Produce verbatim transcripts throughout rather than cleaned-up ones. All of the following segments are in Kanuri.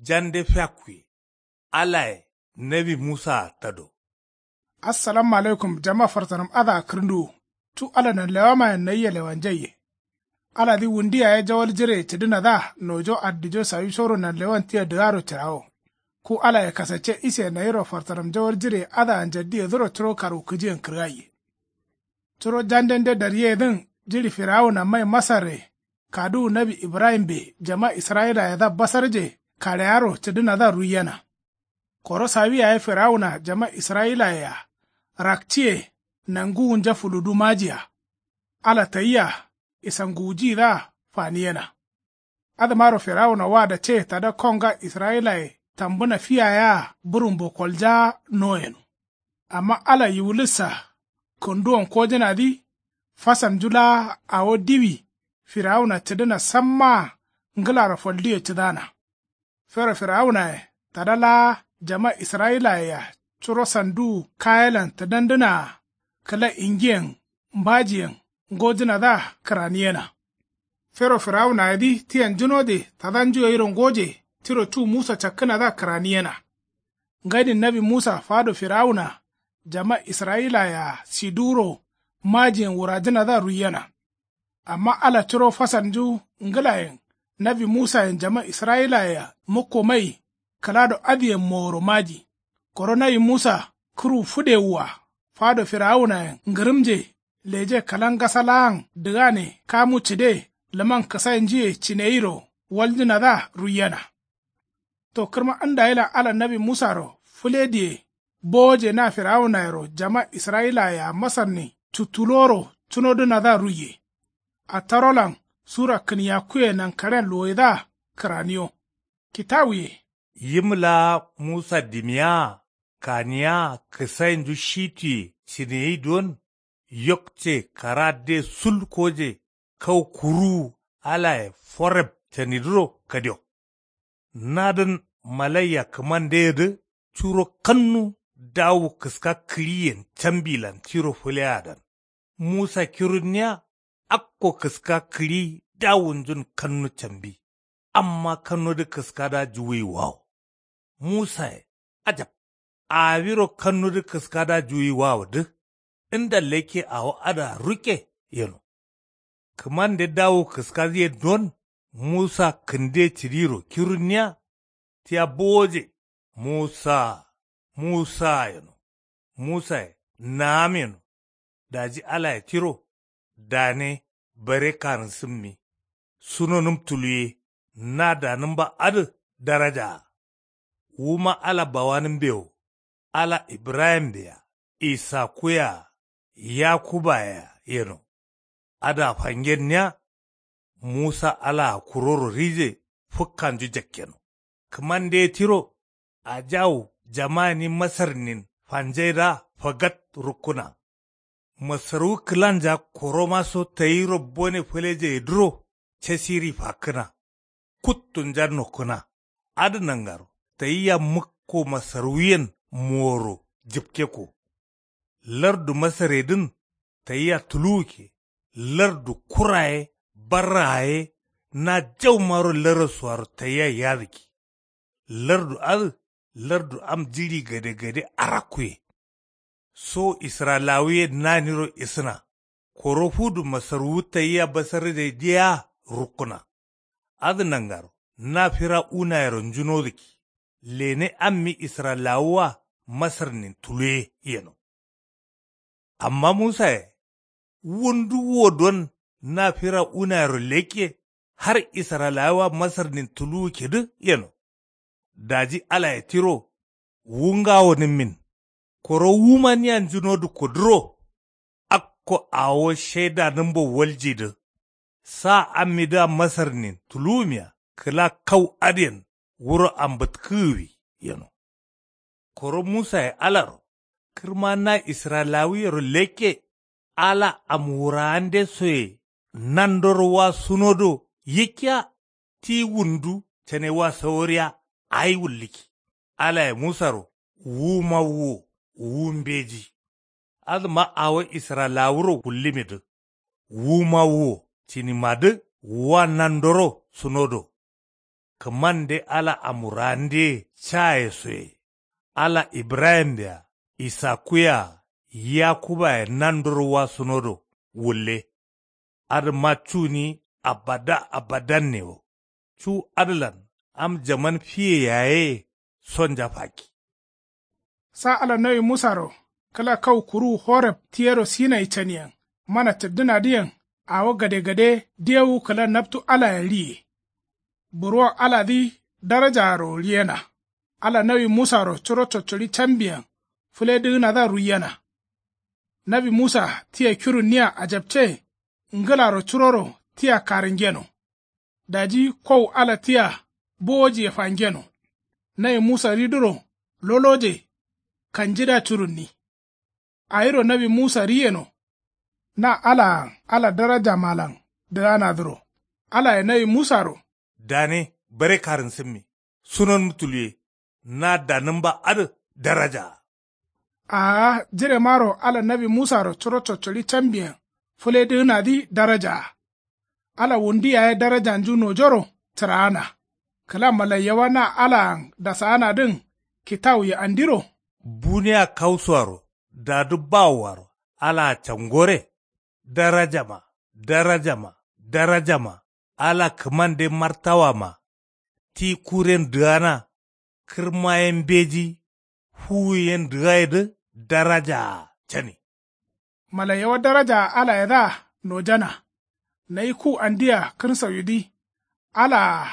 Jande fiakkuye. Alaye nawi musaa tado. Assalamu alaikum jama farsanam adǝa kǝrǝnduwu. Cu ala nanlewamayen nayia lewanjaiye. Aladǝ wundu yaye jawal jireye cǝdǝnadǝa nojo addijo sawisoro nanlewan tia dǝgaro cǝrawo. Ku alaye kasacce ise nayiro farsanam jawal jireye adǝa njaddiyedǝro curo karwukǝjiyen kǝrgaiye. Curo jandende daryeyedǝn jiɍi firawuna mai masarre kaduwu nawi ibrahimbe jama israyilayedǝa basarje kaleyaro cǝdǝnadǝa ruiyena. Koro sawi yaye firawuna jama israyilayea rakciye nanguwunja fuludu majiya. Ala tayia isanguwujiyidǝa faniyena. Adǝmaro firawuna wa dace tada konga israyilaye tambǝna fi yaye-a bǝrumbo koljaa no yeno. Amma ala yiwulissa kǝnduwon kojǝnadǝ fasamnju laa awo diwi firawuna cǝdǝna sammaa ngǝlaro falduye cǝdana. Fero firawunaye tada laa jama israyilayea curo sanduwu kayelan tǝdandǝnaa kǝla ingiyen mbajiyen ngojǝnadǝa kǝraniyena. Fero firawunayedǝ tiyanjunode tadanju gairo ngoje tiro cu musa cakkǝnadǝa kǝraniyena. Ngaidin nawi musa fado firawuna jama israyilayea siduwuro majiyen wurajǝnadǝa ruiyena. Amma ala curo fasalnju ngǝlayen nawi musayen jama israyilayea mukko mai kǝlado adǝyen moworo maji. Koro nawi musa kǝrwu fǝdewua fado firawunayen ngǝrǝmje leje kǝla ngasa laan dǝgane kamu cǝde lǝman kǝsainjuye cineyiro waljǝnadǝa ruiyena. To kǝrma ndayilan ala nawi musaro fǝle diye bowoje na firawunayero jama israyilayea masarnin cuttuloro cunodǝnadǝa ruiye. Attarolan sura kǝniyakkuye nankaren luwoidǝa kǝraniyo. Kitawuye. Yim laa musa dimiyaa kaniyaa kǝsainju shituye cineyi don yokce karadde sul koje kau kuruwu alaye foreb canidǝro kadio. Nadǝn malaiya kǝmandeyedǝ curo kannu dawu kǝska kǝɍiyen cambilan tiro fǝleadan. Musa kirunniya akko kǝska kǝɍi dawunjun kannu cambi. Amma kannudǝ kǝskadǝa juwuyiwawo. Musaye ajab. Awiro kannudǝ kǝskadǝa juwuyiwawodǝ nda lekke awo adǝa rukke yeno. Kǝmande dawu kǝskadǝye don musa kǝnde cǝdiro kirunniya tia bowoje. Musa musa yeno. Musaye naam yeno. Daji alaye tiro dane bare kanǝsǝmmi. Sunonǝm tuluye na danǝmba adǝ darajaa. Wuma ala bawanǝmbe wo ala ibrahimbe-a isakuye-a yakubaye-a yeno. Adǝa fangenniya. Musa alaa kuroro rije fǝkkanju jakkeno. Kǝmande tiro ajawu jamani masarnin fanjaidǝa fagat rukkǝna. Masarwu kǝlanja koromaso tayiro bone fǝlejeyedǝro casiri fakkǝna. Kuttunja nokkǝna. Adǝ nangaro tayia mǝkko masarwuyen moworo jǝpkekko. Lardu masaredǝn tayia tuluwukke. Lardu kura ye barraa ye na jaumaro larasuaro tayia yadǝkki. Lardu adǝ lardu am jiɍi gadegade arakkuye. So israyilawuye naniro isǝna. Koro fudu masarwu tayia basarjai diya rukkǝna. Adǝ nangaro na firawunayero njunodǝkki. Lene ammi israyilawuwa masarnin tuluwe yeno. Amma musaye wundu wo don na firawunayero lekke har israyilawuwa masarnin tuluwukkedǝ yeno. Daji alaye tiro wu ngawonǝmmin. Koro wuma nia njunodǝkkodǝro akko awo shaidanǝmbo waljidǝ. Sa ammidǝa masarnin tuluwumiya kǝla kau adǝyen wuro ambǝtkǝgǝwi yeno. Koro musaye alaro kǝrma na israyilawuyero lekke ala am wuraande soye nandoro wa sunodo yikkiya. Ti wundu cane wa saworiya ayi wullǝkki. Alaye musaro wu mawuwo wu mbeji. Adǝma awo israyilawuro wullǝmidǝ wu mawuwo cinimadǝ wa nandoro sunodo. kǝmande ala amuraandiye caye soye. Ala ibrahim-a, isaku-a, yakuba-ye nandoro wasunodo wulle. Adǝma cuni abada abadanne wo. Cu adǝlan am jaman fiye yaye sonja fakki. Sa ala nawi musaro kǝla kau kuruwu horeb ti yero sinayi caniyen mana cǝddǝnadǝyen. Awo gadegade dewu kǝla naptu alayen riye. Burwon aladǝ darajaaro riyena. Ala nawi musaro curo coccoɍi cambiyen fǝledǝgǝnadǝa ruiyena. Nawi musa tia kirunniya ajapce ngǝlaro curoro tia karǝngeno. Daji kowu ala tia bowojiye fangeno. Nawi musa ridǝro loloje kanjidǝa curunni. Awiro nawi musa riyeno. Na alaan ala darajamalan dǝganadǝro alaye nawi musaro. Dane bare karǝnsǝmme sunonǝm tuluye. Na danǝmba adǝ darajaa. Aa jiremaro ala nawi musaro curo coccoɍi cambiyen fǝledǝgǝnadǝ darajaa. Ala wundu yaye darajanju nojoro cǝraana. Kǝla malaiyawa na alaan dasaanadǝn kitawuye andiro. Buniya kausuwaro dadu bawowaro alaa cangore. Darajama darajama darajama ala kǝmande martawama. Ti kuren dǝgana kǝrma ye mbeji fuwu ye ndǝgaidǝ darajaa cani. Malaiyawa darajaa alayedǝa nojana. Nayi ku andia kǝrsauyidǝ alaa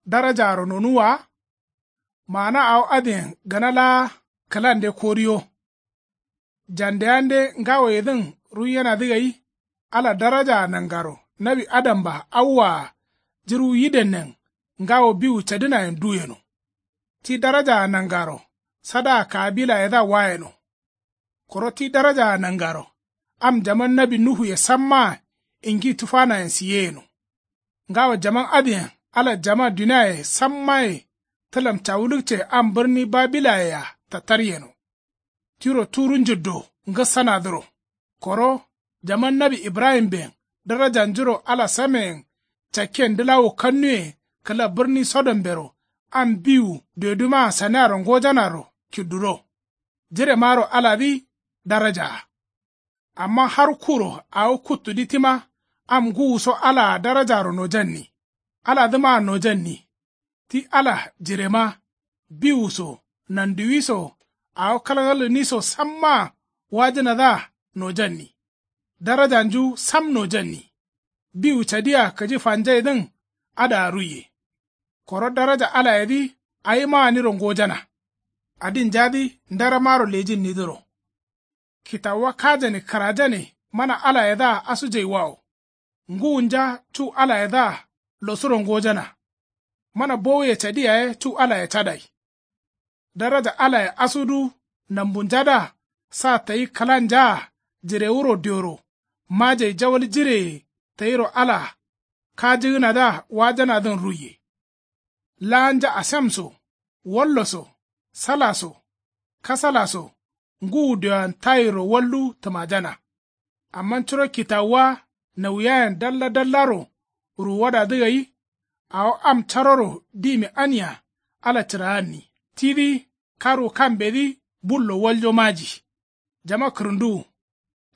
darajaaro nonuwwa wa. Maana awo adǝyen gana laa kǝlande koriyo. Jandeyande ngawoyedǝn ruiyenadǝ gai. Ala darajaa nangaro nawi adamba awwaa jǝrwu yidennen ngawo biwu cadǝnayen duyeno. Ti darajaa nangaro sadaa kaabilayedǝa wayeno. Koro ti darajaa nangaro am jaman nawi nuhuye sammaa ingi tufanayen siyeyeno. Ngawo jaman adǝyen ala jama duniaye sammaye tǝlam cawulukce am bǝrni babilayea tataryeno. Tiro turu njǝddo ngǝssanadǝro. Koro jaman nawi ibrahimben darajanjuro ala sameyen cakken dǝlawu kannuye kǝla bǝrni sodombero am biwu dodumaa saniaro ngojanaro kidduro. Jiremaro aladǝ darajaa. Amma har kuro awo kuttudǝ tima am ngǝwuso alaa darajaro nojanni. Aladǝmaa nojanni. Ti ala jirema biwu so nanduwi so awo kalkalgǝni so sammaa wajǝnadǝa nojanni. Darajanju sam nojanni. Biwu cadia kǝji fanjaidǝn adǝa ruiye. Koro daraja alayedǝ awimaaniro ngojana. Adinjadǝ ndaramaro lejinnidǝro. Kitawuwa kajane kǝrajane mana alayedǝa asujaiwawo. Ngǝwunja cu alayedǝa losuro ngojana. Mana bowuye cadi yaye cu alaye cadai. Daraja alaye asudǝ nambunjadǝa sa tayi kǝlanjaa jirewuro dioro majai jawal jireye tayiro ala kajǝgǝnadǝa wajanadǝn ruiye. Laanja asem so wallo so sala so kasala so ngǝwu dioyen tayiro wallu tǝmajana. Amma curo kitawuwa nauyayen dalla dallaro ruwuwadadǝ gai. Awo am caroro dimi ania ala cǝraanni tidǝ karwu kambedǝ bullo waljo maji. Jama kǝrǝnduwu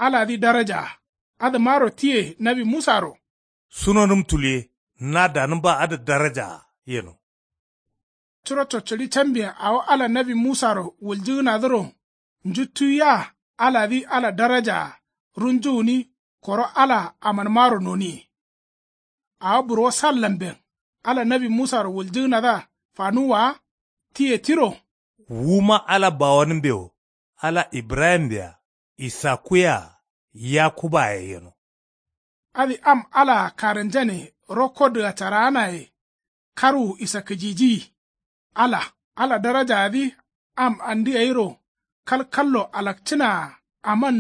aladǝ darajaa. Adǝmaro tiye nawi musaro sunonǝm tuluye na danǝmba adǝ darajaa yeno. Curo coccoɍi cambiyen awo ala nawi musaro wuljǝgǝnadǝro njuttuwiya aladǝ ala darajaa runju gǝni koro ala amanmaro noniye. Awo burwo sallamben ala nawi musaro wuljǝgǝnadǝa fanuwwa wa. Tiye tiro wuma ala bawanǝmbe wo ala ibrahimbe-a isakuye-a yakubaye yeno. Adǝ am alaa karǝnjane rokko dǝgacaraanaye karwu isakkǝjijiyi. Ala ala darajaadǝ am andi gairo kalkallo alakcǝnaa aman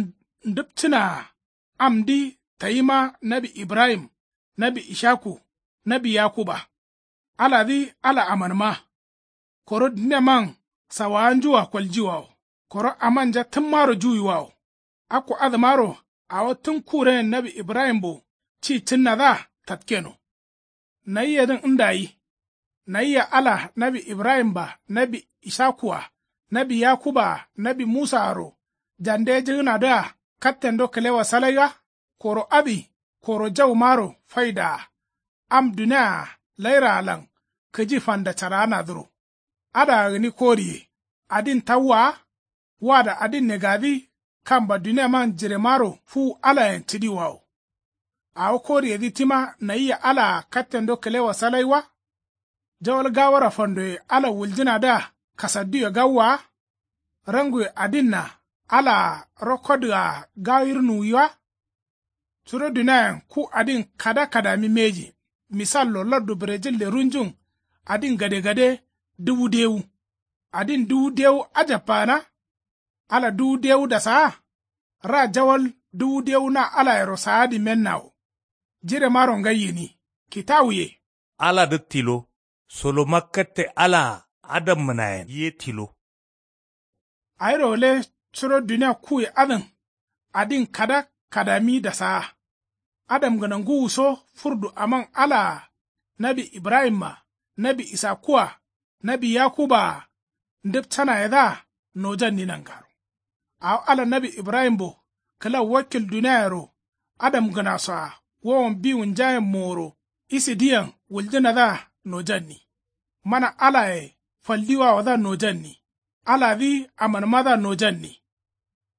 ndǝpcǝnaa amdǝ tayima nawi ibrahim nawi ishaku nawi yakuba. Aladǝ ala amanma. Koro dǝneman sawawanjua koljiwawo koro amanja tǝmmaro juwiwawo. Akko adǝmaro awo tǝn kurenen nawi ibrahimbo ci cǝnnadǝa tatkeno. Nayiyedǝn ndayi. Nayia ala nawi ibrahim-a, nawi isaku-a, nawi yakuba-a, nawi musa-aro jandejǝgǝnadǝa kattendo kǝlewa salai wa? Koro adǝ koro jaumaro faidaa. Am dunia-a lairaalan kǝji fandacaraanadǝro. Adǝa gǝni koriye. Adin tawwa wa? Wada adin negadǝ kamba duniaman jiremaro fuwu alayen cǝdiwawo. Awo koriyedǝ tima nayia alaa kattendo kǝlewa salai wa? Jawal gawora fandoye ala wuljǝnadǝa kasadduye gawwa wa? Ranguye adinna alaa rokkodǝgaa gawir nuwi wa? Curo duniayen ku adin kada kadami mbeji. Misallo lardu brejille runjun adin gadegade duwu dewu. Adin duwu dewu ajabba gǝna? Ala duwu dewu dasaa? Ra jawal duwu dewu na alayero saadǝ mennawo. Jiremaro ngai gǝni. Kitawuye. Aladǝ tilo. Soloma katte alaa adamgǝnayen ye tilo. Awiro gǝle. Curo dunia kuye adǝn adin kada kadami dasaa. Adamgǝna ngǝwuso furdu aman alaa nawi ibrahim-a, nawi isaku-a, nawi yakuba-a ndǝpcanayedǝa nojanni nangaro. Awo ala nawi ibrahimbo kǝla wakkil duniayero adamgǝnaso-a wowon biwunjayen moworo isidǝyen wuljǝnadǝa nojanni. Mana alaye faldiwawodǝa nojanni. Aladǝ amanmadǝa nojanni.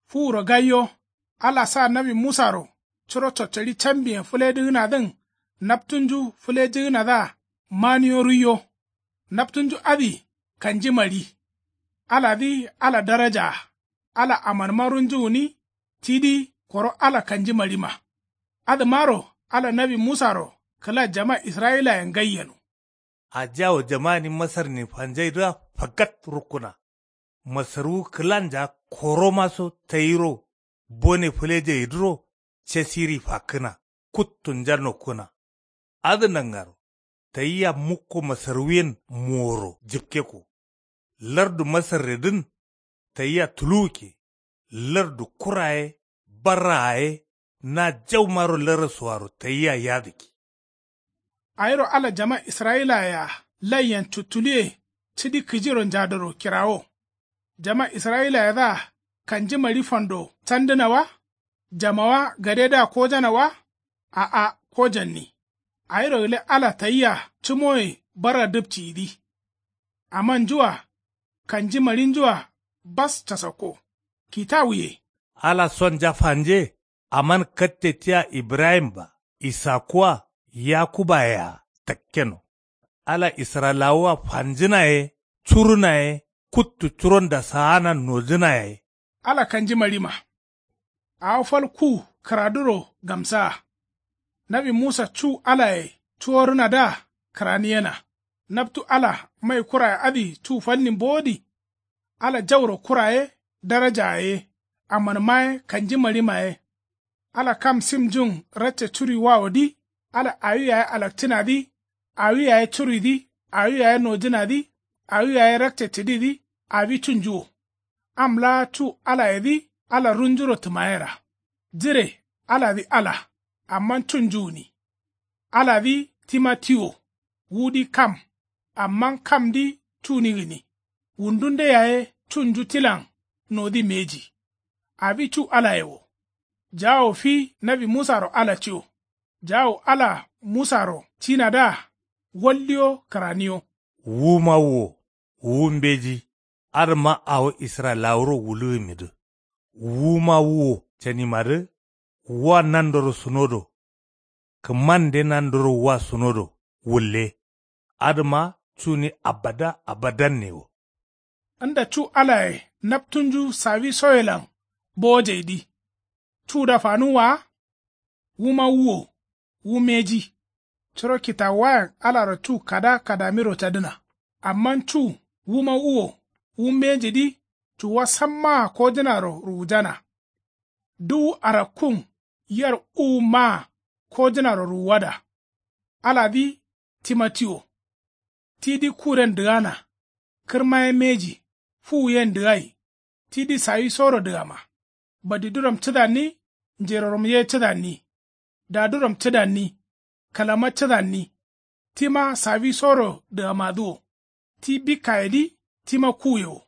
Fuwuro gaiyo. Ala sa nawi musaro curo coccoɍi cambiyen fǝledǝgǝnadǝn naptunju fǝlejǝgǝnadǝa maniyo ruiyo. Naptunju adǝ kanji maɍi. Aladǝ ala darajaa. Ala amanma runju gǝni. Tidǝ koro ala kanji maɍima. Adǝmaro ala nawi musaro kǝla jama israyilayen ngai yeno. Ajawo jama gǝni masarnin fanjaidǝa fakat rukkǝna. Masarwu kǝlanja koromaso tayiro bone fǝlejeidǝro casiri fakkǝna. Kuttunja nokkǝna. Adǝ nangaro tayia mukko masarwuyen moworo jǝpkekko. Lardu masarredǝn tayia tuluwukke. Lardu kura ye barraa ye na jaumaro larasuaro tayia yadǝkke. Awiro ala jama israyilaye-a laiyen cuttuluwe cidi kǝjiro njadoro kirawo. Jama israyilayedǝa kanji maɍi fando candǝna wa? Jamawa gadedǝa kojana wa? A'a kojanni. Awiro gǝle ala tayia cǝmoye barra dǝpciyidǝ. Amanju-a kanji maɍinju-a bas casakko. Kitawuye. Ala sonja fanje. Aman katte tia ibrahim-a, isaku-a, yakuba-ye-a takkeno. Ala israyilawu-a fanjǝna ye curuna ye kuttu curon dasaana nojǝna yayi. Ala kanji maɍima. Awo fal ku kǝraduro gamsaa. Nawi musa cu alaye cuworǝnadǝa kǝraniyena. Naptu ala mai kuraye adǝ cu falnin bowodi. Ala jauro kura ye darajaa ye amanma ye kanji maɍima ye. Ala kam simjun rakce curuiwawodǝ. Ala awi yaye alakcǝnadǝ. Awi yaye curuidǝ. Awi yaye nojǝnadǝ. Awi yaye rakce cǝdidǝ. Awi cunju wo. Am laa cu alayedǝ ala runjuro tǝmayera. Jire aladǝ ala. Amma cunju gǝni. Aladǝ tima ti wo. Wudǝ kam. Amma kamdǝ cuni gǝni. Wundunde yaye cunju tilan nodǝ mbeji. Awi cu alaye wo. Jawo fi nawi musaro ala ci wo. Jawo ala musaro cinadǝa waldiyo kǝraniyo. Wuma wuwo wu mbeji. Adǝma awo israyilawuro wulugǝmidǝ. Wuma wuwo canimadǝ. Wa nandoro sunodo. Kǝmande nandoro wa sunodo wulle. Adǝma cuni abada abadanne wo. Nda cu alaye naptunju sawi soyelan bowojeidǝ. Cuda fanuwwa wa? Wuma wuwo wu mbeji. Curo kitawuwayen alaro cu kada kadamiro cadǝna. Amma cu wuma wuwo wu mbejidǝ. Cuwa sammaa kojǝnaro ruwujana. Duwu arakkun yer uwu maa kojǝnaro ruwuwada. Aladǝ tima ti wo. Tidǝ kuren dǝgana. Kǝrma ye mbeji. Fuwu yen dǝgai. Tidǝ sawisoro dǝgama. Badiduram cǝdanni. Njeroram ye cǝdanni. Daduram cǝdanni. Kǝlama cǝdanni. Tima sawisoro dǝgamadǝ wo. Ti bikkayedǝ tima kuye wo.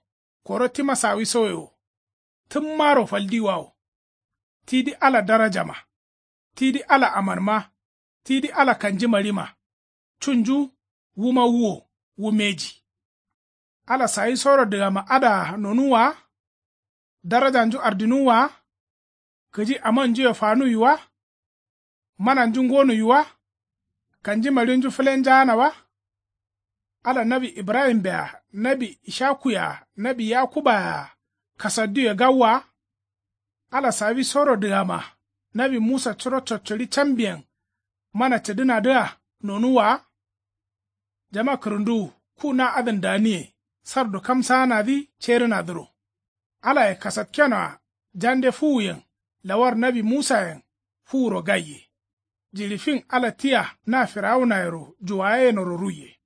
Koro tima sawisoye wo. Tǝmmaro faldiwa wo. Tidǝ ala darajama. Tidǝ ala amanma. Tidǝ ala kanjimaɍima. Cunju wuma wuwo. Wu mbeji. Ala sawisoro dǝgama adǝa nonuwwa wa? Darajanju ardinuwwa wa? Kǝji amanjuye fanuwwi wa? Mananju ngonuwwi wa? Kanjimaɍinju fǝlenjaana wa? Ala nawi ibrahimbe-a, nawi ishakuye-a, nawi yakubbaye-a kasadduye gawwa wa? Ala sawisoro dǝgama nawi musa curo coccoɍi cambiyen mana cǝdǝnadǝa nonuwwa wa? Jama kǝrǝnduwu ku na adǝn daniye sardu kamsaanadǝ cerǝnadǝro. Alaye kasatkenoa jande fuwuyen lawar nawi musayen fuwuro gaiye. Jiɍi fin ala tia na firawunayero juwayeyenoro ruiye.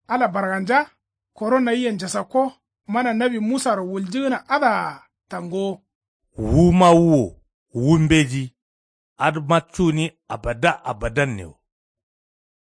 Ala barganja koro nayiyen njasakko mana nawi musaro wuljǝgǝna adǝa tangowo. Wuma wuwo wu mbeji. Adǝma cuni abada abadannewo.